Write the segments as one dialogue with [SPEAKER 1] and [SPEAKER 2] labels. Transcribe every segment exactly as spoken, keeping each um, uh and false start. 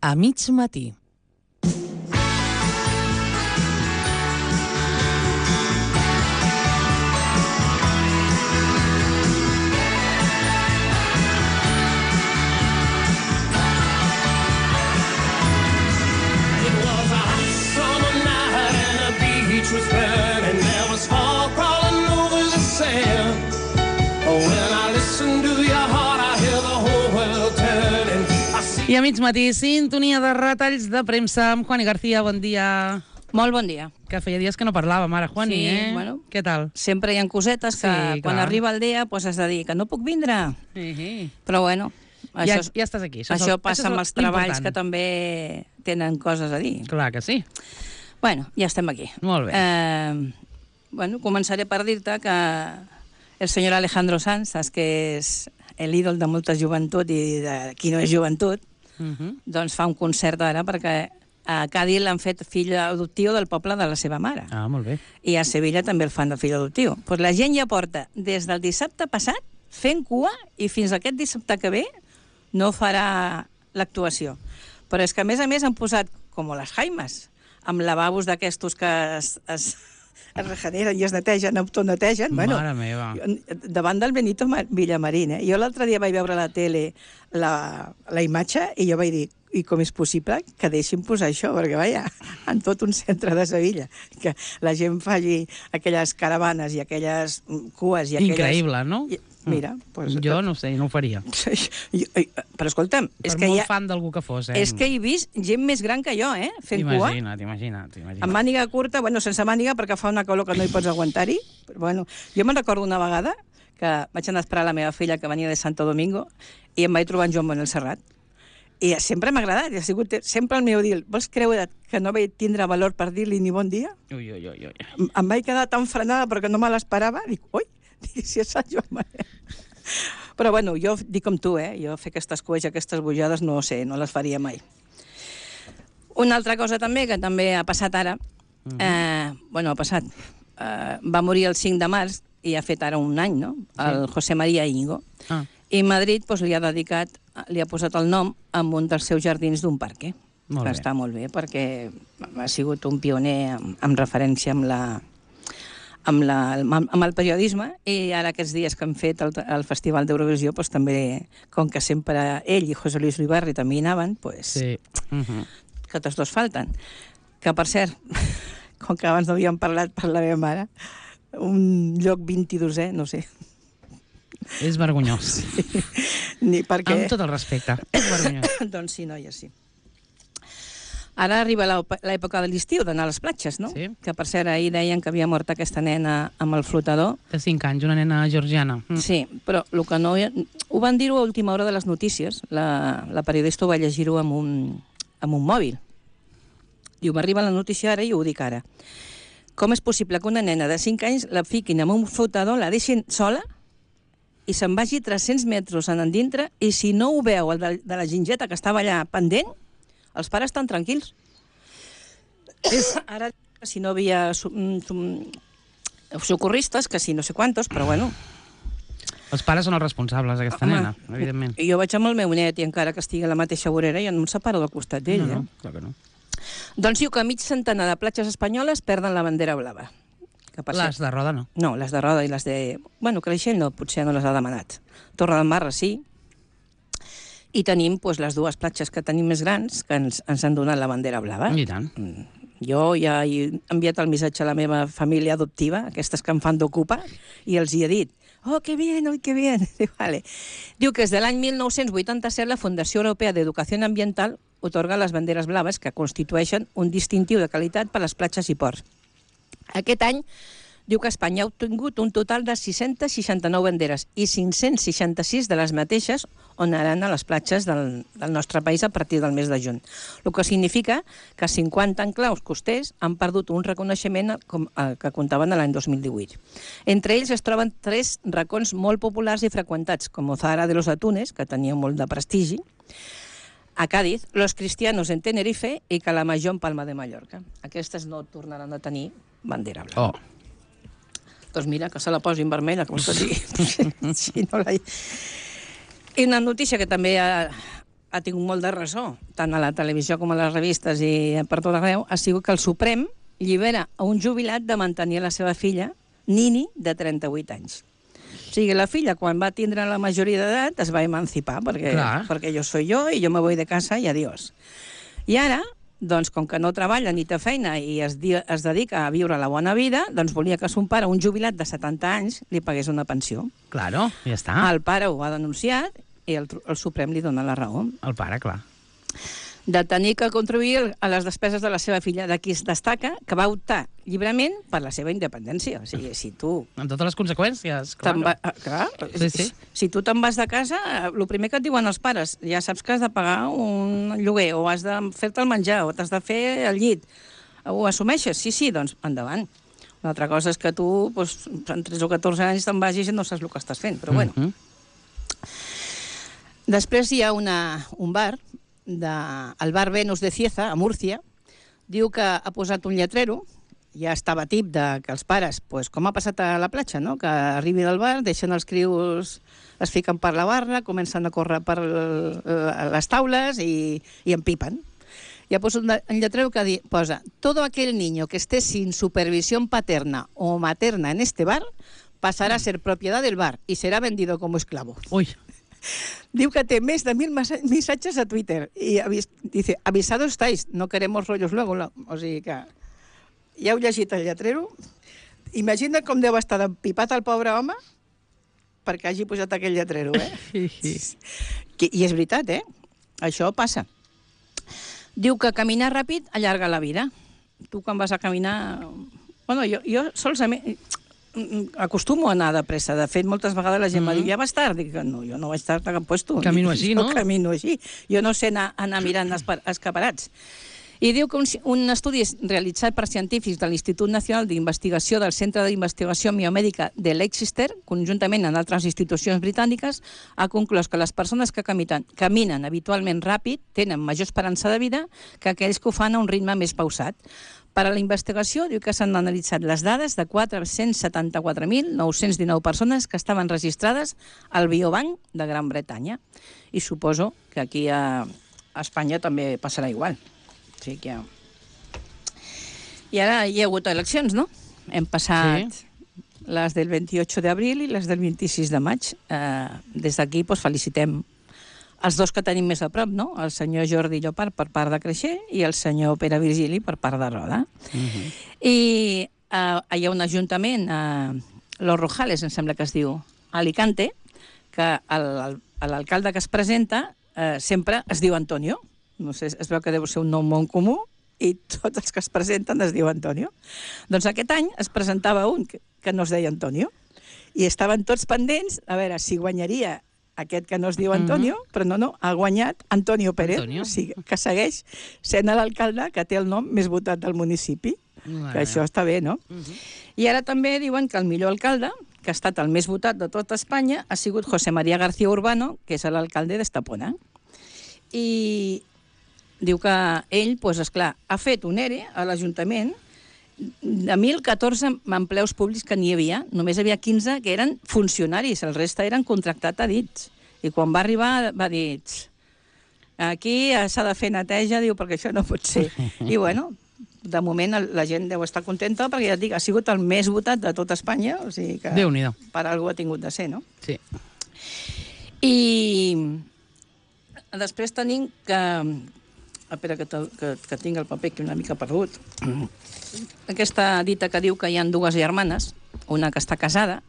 [SPEAKER 1] A mig matí. I a mig matí, sintonia de retalls de premsa amb Juani García. Bon dia.
[SPEAKER 2] Molt bon dia.
[SPEAKER 1] Que feia dies que no parlàvem, ara, Juani,
[SPEAKER 2] sí,
[SPEAKER 1] eh?
[SPEAKER 2] Bueno,
[SPEAKER 1] què tal?
[SPEAKER 2] Sempre hi ha cosetes que
[SPEAKER 1] sí,
[SPEAKER 2] quan arriba el dia pues, has de dir que no puc vindre.
[SPEAKER 1] Uh -huh.
[SPEAKER 2] Però bueno,
[SPEAKER 1] ja,
[SPEAKER 2] això,
[SPEAKER 1] ja estàs aquí.
[SPEAKER 2] Això, això el, passa això amb els treballs important. Que també tenen coses a dir.
[SPEAKER 1] Clar que sí.
[SPEAKER 2] Bueno, ja estem aquí.
[SPEAKER 1] Molt bé.
[SPEAKER 2] Eh, bueno, començaré per dir-te que el senyor Alejandro Sanz, saps que és l'ídol de molta joventut i de qui no és joventut, Uh -huh. doncs fa un concert ara perquè a Cádiz l'han fet fill adoptiu del poble de la seva mare.
[SPEAKER 1] Ah, molt bé.
[SPEAKER 2] I a Sevilla també el fan de fill adoptiu. Pues la gent ja porta des del dissabte passat fent cua i fins aquest dissabte que ve no farà l'actuació. Però és que a més a més han posat com les Jaimes, amb lavabos d'aquestos que es, es, es regeneren i es netegen, autonetegen.
[SPEAKER 1] Mare
[SPEAKER 2] bueno,
[SPEAKER 1] meva.
[SPEAKER 2] Davant del Benito Villamarín. Eh? Jo l'altre dia vaig veure a la tele la, la imatge i jo vaig dir, i com és possible que deixin posar això? Perquè, vaja, en tot un centre de Sevilla, que la gent faci aquelles caravanes i aquelles cues i aquelles...
[SPEAKER 1] Increïble, no?
[SPEAKER 2] I, mira, pues,
[SPEAKER 1] jo no sé, no ho faria.
[SPEAKER 2] Però escolta'm...
[SPEAKER 1] Per
[SPEAKER 2] és que
[SPEAKER 1] molt
[SPEAKER 2] ha,
[SPEAKER 1] fan d'algú que fos, eh?
[SPEAKER 2] És que he vist gent més gran que jo, eh? Fent cua.
[SPEAKER 1] Imagina't, imagina't, imagina't.
[SPEAKER 2] Amb màniga curta, bueno, sense màniga, perquè fa una calor que no hi pots aguantar-hi. Però, bueno, jo me'n recordo una vegada que vaig anar a esperar la meva filla que venia de Santo Domingo i em vaig trobar en Joan Manuel Serrat. I sempre m'ha agradat, ha sigut sempre el meu dir. Vols creure que no vaig tindre valor per dir-li ni bon dia?
[SPEAKER 1] Ui, ui, ui, ui.
[SPEAKER 2] Em vaig quedar tan frenada perquè no me l'esperava. Dic, ui, dic, si és el Joan Manuel. Però bueno, jo dic com tu, eh? Jo fer aquestes cues i aquestes bujades no sé, no les faria mai. Una altra cosa també, que també ha passat ara, uh -huh. eh, bueno, ha passat, eh, va morir el cinc de març i ha fet ara un any, no? El sí. José María Íñigo. Ah. I Madrid pues, li ha dedicat, li ha posat el nom amb un dels seus jardins d'un parc,
[SPEAKER 1] molt
[SPEAKER 2] que
[SPEAKER 1] bé.
[SPEAKER 2] Està molt bé, perquè ha sigut un pioner amb, amb referència amb la... Amb, la, amb el periodisme, i ara aquests dies que han fet el, el Festival d'Eurovisió doncs, també, com que sempre ell i José Luis Ribarri també hi anaven, doncs,
[SPEAKER 1] sí. uh -huh.
[SPEAKER 2] que tots dos falten. Que, per cert, com que abans no havíem parlat per la meva mare, un lloc vint-i-dosè, no sé.
[SPEAKER 1] És vergonyós.
[SPEAKER 2] Sí. Ni perquè...
[SPEAKER 1] Amb tot el respecte. És vergonyós.
[SPEAKER 2] Doncs sí, noia, sí. Ara arriba l'època de l'estiu, d'anar a les platges, no?
[SPEAKER 1] Sí.
[SPEAKER 2] Que, per cert, ahir deien que havia mort aquesta nena amb el flotador.
[SPEAKER 1] De cinc anys, una nena georgiana. Mm.
[SPEAKER 2] Sí, però el que no... Ho van dir-ho a última hora de les notícies. La, la periodista ho va llegir-ho amb, un, amb un mòbil. Diu, m'arriba la notícia ara i ho dic ara. Com és possible que una nena de cinc anys la fiquin amb un flotador, la deixin sola i se'n vagi tres-cents metres en endintre, i si no ho veu el de, de la gingeta que estava allà pendent, els pares estan tranquils. És, ara, si no havia socorristes, que si no sé quantos, però bueno.
[SPEAKER 1] Els pares són els responsables d'aquesta nena, evidentment.
[SPEAKER 2] Jo vaig amb el meu net, i encara que estigui a la mateixa vorera, jo no em separo del costat d'ell.
[SPEAKER 1] No, no,
[SPEAKER 2] eh?
[SPEAKER 1] clar que no.
[SPEAKER 2] Doncs diu que mig centenar de platges espanyoles perden la bandera blava. Que
[SPEAKER 1] les de Roda no.
[SPEAKER 2] No, les de Roda i les de... Bueno, Creixell no, potser no les ha demanat. Torre del Mar, sí. I tenim pues, les dues platges que tenim més grans que ens, ens han donat la bandera blava.
[SPEAKER 1] I tant.
[SPEAKER 2] Jo ja he enviat el missatge a la meva família adoptiva, aquestes que em fan d'ocupar, i els hi he dit, oh, que bien, oi, que bien. Vale. Diu que des de l'any mil nou-cents vuitanta-set la Fundació Europea d'Educació Ambiental otorga les banderes blaves, que constitueixen un distintiu de qualitat per a les platges i ports. Aquest any diu que Espanya ha obtingut un total de sis-centes seixanta-nou banderes i cinc-cents seixanta-sis de les mateixes onaran a les platges del, del nostre país a partir del mes de juny. El que significa que cinquanta enclaus costers han perdut un reconeixement com, eh, que comptaven l'any dos mil divuit. Entre ells es troben tres racons molt populars i freqüentats, com Zahara de los Atunes, que tenia molt de prestigi, a Cádiz, Los Cristianos en Tenerife i Calamajó en Palma de Mallorca. Aquestes no tornaran a tenir bandera blava.
[SPEAKER 1] Oh.
[SPEAKER 2] Doncs mira, que se la posin vermella, com se digui. Si no la... I una notícia que també ha, ha tingut molt de ressò, tant a la televisió com a les revistes i per tot arreu, ha sigut que el Suprem llibera a un jubilat de mantenir la seva filla, Nini, de trenta-vuit anys. O sigui, la filla, quan va tindre la majoria d'edat, es va emancipar, perquè, perquè jo soy jo i jo me voy de casa i adiós. I ara, doncs, com que no treballa ni té feina i es, di es dedica a viure la bona vida, doncs volia que son pare, un jubilat de setanta anys, li pagués una pensió.
[SPEAKER 1] Claro, ja està.
[SPEAKER 2] El pare ho ha denunciat i el, el Suprem li dona la raó.
[SPEAKER 1] El pare, clar.
[SPEAKER 2] De tenir que contribuir a les despeses de la seva filla. D'aquí es destaca que va optar lliurement per la seva independència. O sigui, si tu...
[SPEAKER 1] Amb totes les conseqüències, clar.
[SPEAKER 2] Va, clar,
[SPEAKER 1] sí, sí.
[SPEAKER 2] Si tu te'n vas de casa, el primer que et diuen els pares, ja saps que has de pagar un lloguer, o has de fer-te el menjar, o t'has de fer el llit. Ho assumeixes? Sí, sí, doncs endavant. Una altra cosa és que tu, doncs, en tretze o catorze anys, te'n vagis i no saps el que estàs fent, però bueno. Mm-hmm. Després hi ha una, un bar, de, el bar Venus de Cieza, a Múrcia, diu que ha posat un lletrero, ja estava tip de que els pares, pues, com ha passat a la platja, no? Que arribi del bar, deixen els crios, es fiquen per la barra, comencen a córrer per les taules i, i empipen. I ha posat un lletrero que di, posa: todo aquel niño que esté sin supervisión paterna o materna en este bar pasará a ser propiedad del bar y será vendido como esclavo.
[SPEAKER 1] Ui.
[SPEAKER 2] Diu que té més de mil missatges a Twitter i avis, dice, avisados estáis, no queremos rollos luego. O sigui que ja heu llegit el lletrero. Imagina com deu estar empipat el pobre home perquè hagi posat aquell lletrero, eh? I és veritat, eh? Això passa. Diu que caminar ràpid allarga la vida. Tu quan vas a caminar... Bueno, jo, jo solament... acostumo a anar de pressa. De fet, moltes vegades la gent mm -hmm. m'ha dit, ja vas tard. Dic, no, jo no vaig tard a cap puesto.
[SPEAKER 1] Camino així, no?
[SPEAKER 2] Jo camino així. Jo no sé anar, anar mirant escaparats. I diu que un, un estudi realitzat per científics de l'Institut Nacional d'Investigació del Centre d'Investigació Biomèdica de Leicester, conjuntament amb altres institucions britàniques, ha conclòs que les persones que caminen, caminen habitualment ràpid tenen major esperança de vida que aquells que ho fan a un ritme més pausat. Per a la investigació, diu que s'han analitzat les dades de quatre-cents setanta-quatre mil nou-cents dinou persones que estaven registrades al Biobanc de Gran Bretanya. I suposo que aquí a Espanya també passarà igual. O sigui que... I ara hi ha hagut eleccions, no? Hem passat sí. les del vint-i-ocho d'abril i les del vint-i-sis de maig. Eh, des d'aquí doncs, felicitem els dos que tenim més a prop, no? El senyor Jordi Llopart per part de Creixer i el senyor Pere Virgili per part de Roda. Uh-huh. I eh, hi ha un ajuntament, a Los Rojales, em sembla que es diu, a Alicante, que l'alcalde que es presenta eh, sempre es diu Antonio. No sé, es veu que deu ser un nom molt comú i tots els que es presenten es diu Antonio. Doncs aquest any es presentava un que, que no es deia Antonio i estaven tots pendents a veure si guanyaria aquest que no es diu Antonio, mm-hmm. però no, no, ha guanyat Antonio Pérez, Antonio. O sigui, que segueix sent l'alcalde que té el nom més votat del municipi, mm-hmm. que això està bé, no? Mm-hmm. I ara també diuen que el millor alcalde, que ha estat el més votat de tota Espanya, ha sigut José María García Urbano, que és l'alcalde d'Estepona. I diu que ell, doncs, esclar, ha fet un ERE a l'Ajuntament de mil catorze empleus públics que n'hi havia, només hi havia quinze que eren funcionaris, el reste eren contractats a dits. I quan va arribar va dir, aquí s'ha de fer neteja, diu, perquè això no pot ser. I bueno, de moment la gent deu estar contenta perquè ja et dic, ha sigut el més votat de tota Espanya, o sigui que
[SPEAKER 1] Déu-n'hi-do.
[SPEAKER 2] Per algú ha tingut de ser, no?
[SPEAKER 1] Sí.
[SPEAKER 2] I després tenim que... Espera, que, que, que tinc el paper que una mica perdut. Aquesta dita que diu que hi ha dues germanes, una que està casada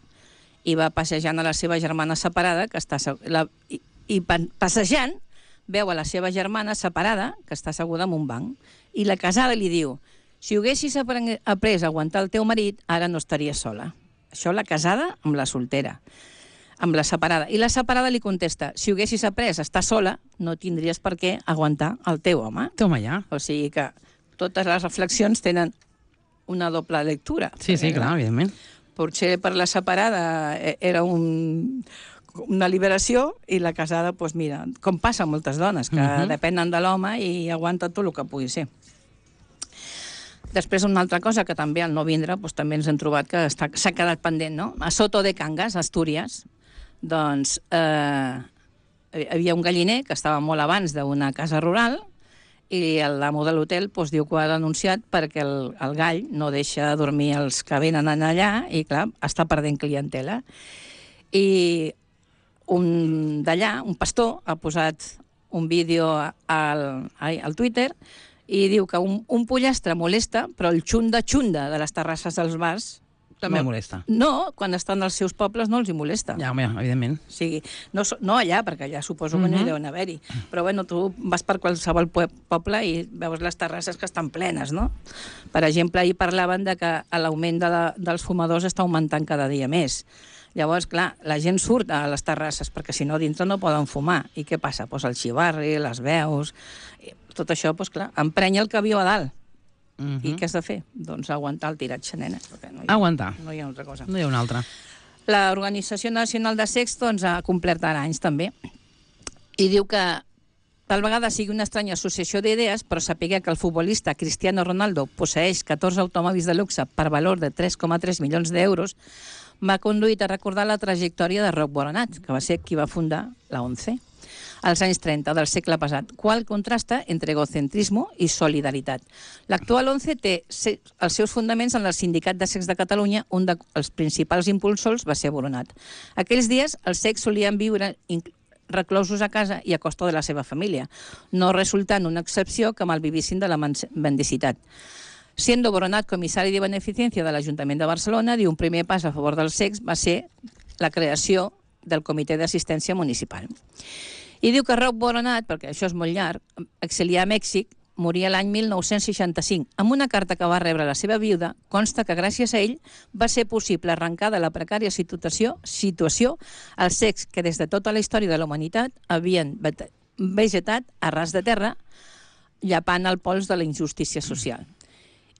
[SPEAKER 2] i va passejant a la seva germana separada, que està la, i, i passejant veu a la seva germana separada, que està asseguda en un banc, i la casada li diu, si haguessis après a aguantar el teu marit, ara no estaries sola. Això la casada amb la soltera, amb la separada. I la separada li contesta, si haguessis après a estar sola, no tindries per què aguantar el teu home.
[SPEAKER 1] Toma ja.
[SPEAKER 2] O sigui que totes les reflexions tenen una doble lectura.
[SPEAKER 1] Sí, sí, clar, evidentment.
[SPEAKER 2] Potser per la separada era un, una liberació i la casada, doncs mira, com passa amb moltes dones, que uh-huh. depenen de l'home i aguanta tot el que pugui ser. Després, una altra cosa que també al no vindre, doncs, també ens hem trobat que s'ha quedat pendent, no? A Soto de Cangas, Astúries, doncs eh, hi havia un galliner que estava molt abans d'una casa rural i l'amo de l'hotel doncs, diu que ho ha denunciat perquè el, el gall no deixa dormir els que venen allà i, clar, està perdent clientela. I un d'allà, un pastor, ha posat un vídeo al, al Twitter i diu que un, un pollastre molesta, però el xunda-xunda de les terrasses dels bars
[SPEAKER 1] també
[SPEAKER 2] no,
[SPEAKER 1] molesta.
[SPEAKER 2] No, quan estan als seus pobles no els hi molesta.
[SPEAKER 1] Ja, home, evidentment.
[SPEAKER 2] O sigui, no, no allà, perquè allà suposo que no hi deuen haver-hi. Però bueno, tu vas per qualsevol poble i veus les terrasses que estan plenes, no? Per exemple, ahir parlaven de que l'augment de la, dels fumadors està augmentant cada dia més. Llavors, clar, la gent surt a les terrasses perquè si no dintre no poden fumar. I què passa? Pues el xivarri, les veus... Tot això, pues, clar, emprenya el que viu a dalt. Uh -huh. I què has de fer? Doncs aguantar el tiratge, nena. No hi ha,
[SPEAKER 1] aguantar.
[SPEAKER 2] No hi ha altra cosa.
[SPEAKER 1] No hi ha una altra.
[SPEAKER 2] L'Organització Nacional de Sex doncs, ha complert ara anys també i diu que tal vegada sigui una estranya associació d'idees, però sapiguer que el futbolista Cristiano Ronaldo posseix catorze automòbils de luxe per valor de tres coma tres milions d'euros m'ha conduït a recordar la trajectòria de Roc Boronat, que va ser qui va fundar la ONCE als anys trenta del segle passat, qual contrasta entre egocentrisme i solidaritat. L'actual ONCE té els seus fonaments en el Sindicat de Sex de Catalunya, un dels principals impulsors va ser Boronat. Aquells dies els sex solien viure reclosos a casa i a costa de la seva família, no resultant una excepció que malvivissin de la mendicitat. Siendo Boronat comissari de beneficència de l'Ajuntament de Barcelona, diu un primer pas a favor del sex va ser la creació del Comitè d'Assistència Municipal. I diu que Roc Boronat, perquè això és molt llarg, exiliar a Mèxic, moria l'any mil nou-cents seixanta-cinc. Amb una carta que va rebre la seva viuda, consta que gràcies a ell va ser possible arrencar de la precària situació, situació el sex que des de tota la història de la humanitat havien vegetat a ras de terra, llapant el pols de la injustícia social.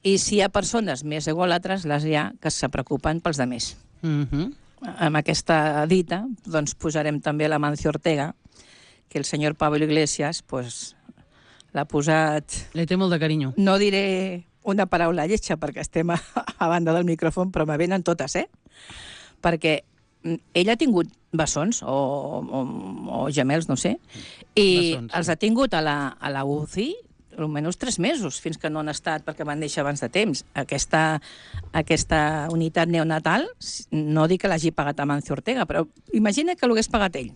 [SPEAKER 2] I si hi ha persones més egòlatres, les hi ha que se preocupen pels demés.
[SPEAKER 1] Uh-huh.
[SPEAKER 2] Amb aquesta dita, doncs posarem també la Mancio Ortega, que el senyor Pablo Iglesias pues, l'ha posat...
[SPEAKER 1] Li té molt de carinyo.
[SPEAKER 2] No diré una paraula lletja perquè estem a, a banda del micròfon, però me venen totes, eh? Perquè ell ha tingut bessons o, o, o gemels, no sé, i bessons, els sí. ha tingut a la, a la U C I almenys tres mesos, fins que no han estat perquè van néixer abans de temps. Aquesta, aquesta unitat neonatal, no dic que l'hagi pagat a Mancio Ortega, però imagina que l'hagués pagat ell.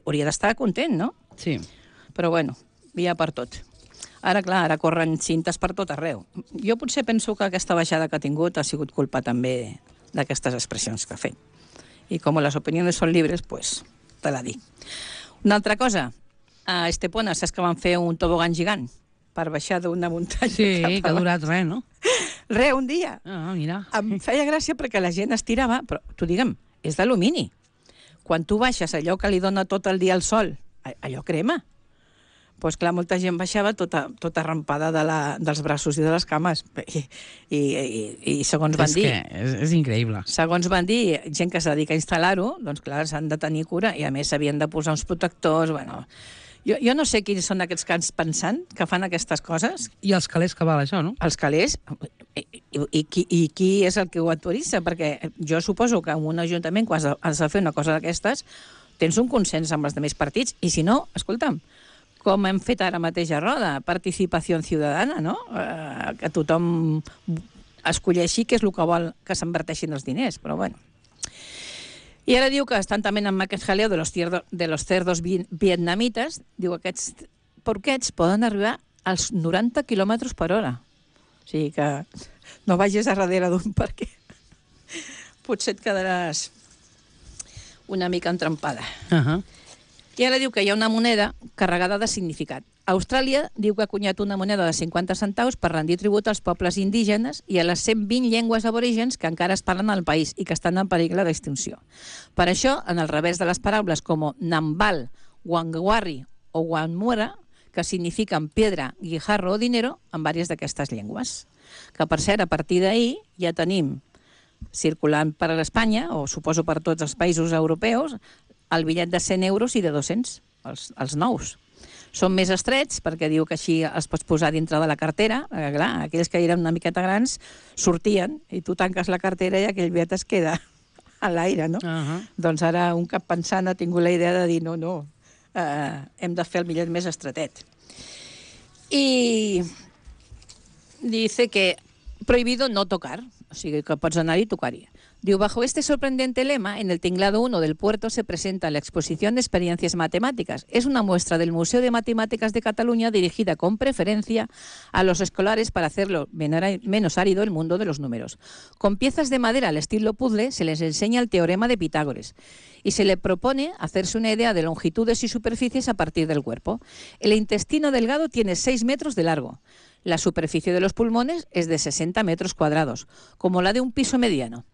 [SPEAKER 2] Hauria d'estar content, no?
[SPEAKER 1] Sí.
[SPEAKER 2] Però bueno, hi ha per tot. Ara, clar, ara corren cintes per tot arreu. Jo potser penso que aquesta baixada que ha tingut ha sigut culpa també d'aquestes expressions que ha fet. I com les opinions són llibres, pues, te la dic. Una altra cosa, a Estepona saps que van fer un tobogan gegant per baixar d'una muntanya.
[SPEAKER 1] Sí, que ha durat res, no?
[SPEAKER 2] Res, un dia.
[SPEAKER 1] Ah, mira.
[SPEAKER 2] Em feia gràcia perquè la gent estirava, però tu digue'm, és d'alumini. Quan tu baixes allò que li dona tot el dia al sol, allò crema. Doncs pues, clar, molta gent baixava tota, tota rampada de la, dels braços i de les cames. I, i, i, i segons van
[SPEAKER 1] és
[SPEAKER 2] dir...
[SPEAKER 1] Que és, és increïble.
[SPEAKER 2] Segons van dir, gent que es dedica a instal·lar-ho, doncs clar, s'han de tenir cura i a més s'havien de posar uns protectors, bueno... Jo, jo no sé quins són aquests cans pensant que fan aquestes coses.
[SPEAKER 1] I els calés que val això, no?
[SPEAKER 2] Els calés? I, i, i, qui, i qui és el que ho autoritza? Perquè jo suposo que en un ajuntament, quan has de fer una cosa d'aquestes, tens un consens amb els altres partits. I si no, escolta'm, com hem fet ara mateix a Roda, participació ciutadana, no? Eh, que tothom escolleixi què és el que vol que s'inverteixin els diners, però bueno... I ara diu que estan també amb aquest jaleo de los, tierdo, de los cerdos vietnamites. Diu que aquests porquets poden arribar als noranta quilòmetres per hora. O sigui que no vagis a darrere d'un perquè potser et quedaràs una mica entrampada.
[SPEAKER 1] Uh -huh.
[SPEAKER 2] I ara diu que hi ha una moneda carregada de significat. Austràlia diu que ha cunyat una moneda de cinquanta centaus per rendir tribut als pobles indígenes i a les cent vint llengües aborígens que encara es parlen al país i que estan en perill d'extinció. Per això, en el revés de les paraules com Nambal, Wangwari o Wanmura, que signifiquen piedra, guijarro o dinero, en diverses d'aquestes llengües. Que, per cert, a partir d'ahir ja tenim circulant per a l'Espanya, o suposo per tots els països europeus, el bitllet de cent euros i de dos-cents, els, els nous. Són més estrets, perquè diu que així els pots posar dintre de la cartera. Eh, clar, aquells que eren una miqueta grans sortien, i tu tanques la cartera i aquell bitllet es queda a l'aire, no?
[SPEAKER 1] Uh -huh.
[SPEAKER 2] Doncs ara un cap pensant ha tingut la idea de dir no, no, eh, hem de fer el millet més estretet. I dice que prohibido no tocar, o sigui que pots anar-hi i tocar-hi. Diu, bajo este sorprendente lema, en el tinglado uno del puerto se presenta la exposición de experiencias matemáticas. Es una muestra del Museo de Matemáticas de Cataluña dirigida con preferencia a los escolares para hacerlo menos árido el mundo de los números. Con piezas de madera al estilo puzzle se les enseña el teorema de Pitágoras y se le propone hacerse una idea de longitudes y superficies a partir del cuerpo. El intestino delgado tiene seis metros de largo. La superficie de los pulmones es de sesenta metros cuadrados, como la de un piso mediano.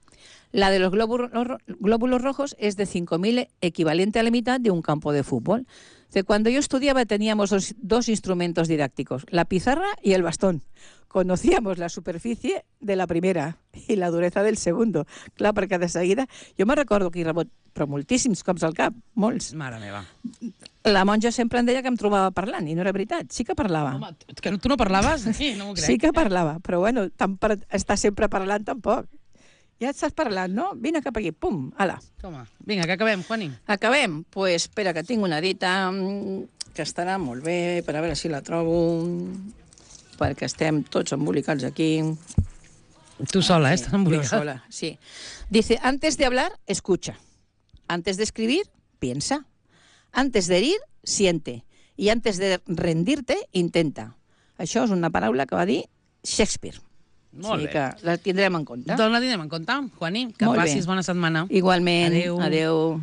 [SPEAKER 2] La de los glóbulos, glóbulos rojos es de cinco mil, equivalente a la mitad de un campo de fútbol. De cuando yo estudiaba teníamos dos, dos instrumentos didácticos, la pizarra y el bastón. Conocíamos la superficie de la primera i la duresa del segundo. Clar, perquè de seguida... Jo me recordo que hi rebot, però moltíssims cops al cap, molts.
[SPEAKER 1] Mare meva.
[SPEAKER 2] La monja sempre em deia que em trobava parlant, i no era veritat, sí que parlava.
[SPEAKER 1] Home, que tu no parlaves? Sí, no m'ho crec.
[SPEAKER 2] Sí que parlava, però bueno, tant per estar sempre parlant tampoc. Ja estàs parlant, no? Vine cap aquí, pum, ala.
[SPEAKER 1] Toma, vinga, que acabem, Juani.
[SPEAKER 2] Acabem? Doncs pues, espera, que tinc una dita que estarà molt bé, per a veure si la trobo, perquè estem tots embolicats aquí.
[SPEAKER 1] Tu sola, eh? Estàs embolicada.
[SPEAKER 2] Yo sola, sí. Dice, antes de hablar, escucha. Antes de escribir, piensa. Antes de herir, siente. Y antes de rendirte, intenta. Això és una paraula que va dir Shakespeare.
[SPEAKER 1] Molt
[SPEAKER 2] sí,
[SPEAKER 1] bé.
[SPEAKER 2] que la tindrem en compte.
[SPEAKER 1] Doncs la tindrem en compte, Juani. Que
[SPEAKER 2] Molt
[SPEAKER 1] passis
[SPEAKER 2] bé.
[SPEAKER 1] bona setmana.
[SPEAKER 2] Igualment.
[SPEAKER 1] Adéu.
[SPEAKER 2] Adéu.